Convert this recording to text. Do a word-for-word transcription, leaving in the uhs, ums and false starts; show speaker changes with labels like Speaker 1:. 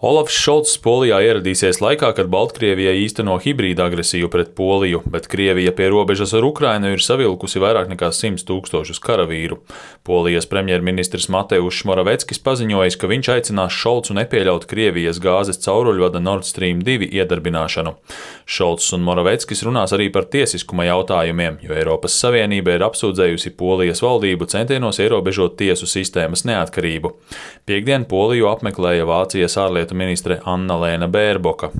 Speaker 1: Olafs Šolcs Polijā ieradīsies laikā, kad Baltkrievija īsteno hibrīda agresiju pret Poliju, bet Krievija pie robežas ar Ukrainu ir savilkusi vairāk nekā simts tūkstošus karavīru. Polijas premjerministrs Mateušs Moraveckis paziņojis, ka viņš aicinās Šolcu nepieļaut Krievijas gāzes cauruļvada Nord Stream divi iedarbināšanu. Šolcs un Moraveckis runās arī par tiesiskuma jautājumiem, jo Eiropas Savienība ir apsūdzējusi Polijas valdību centienos ierobežot tiesu sistēmas neatkarību. Piektdien Poliju apmeklēja Vācijas ārlietu ministre Anna-Lēna Bērboka.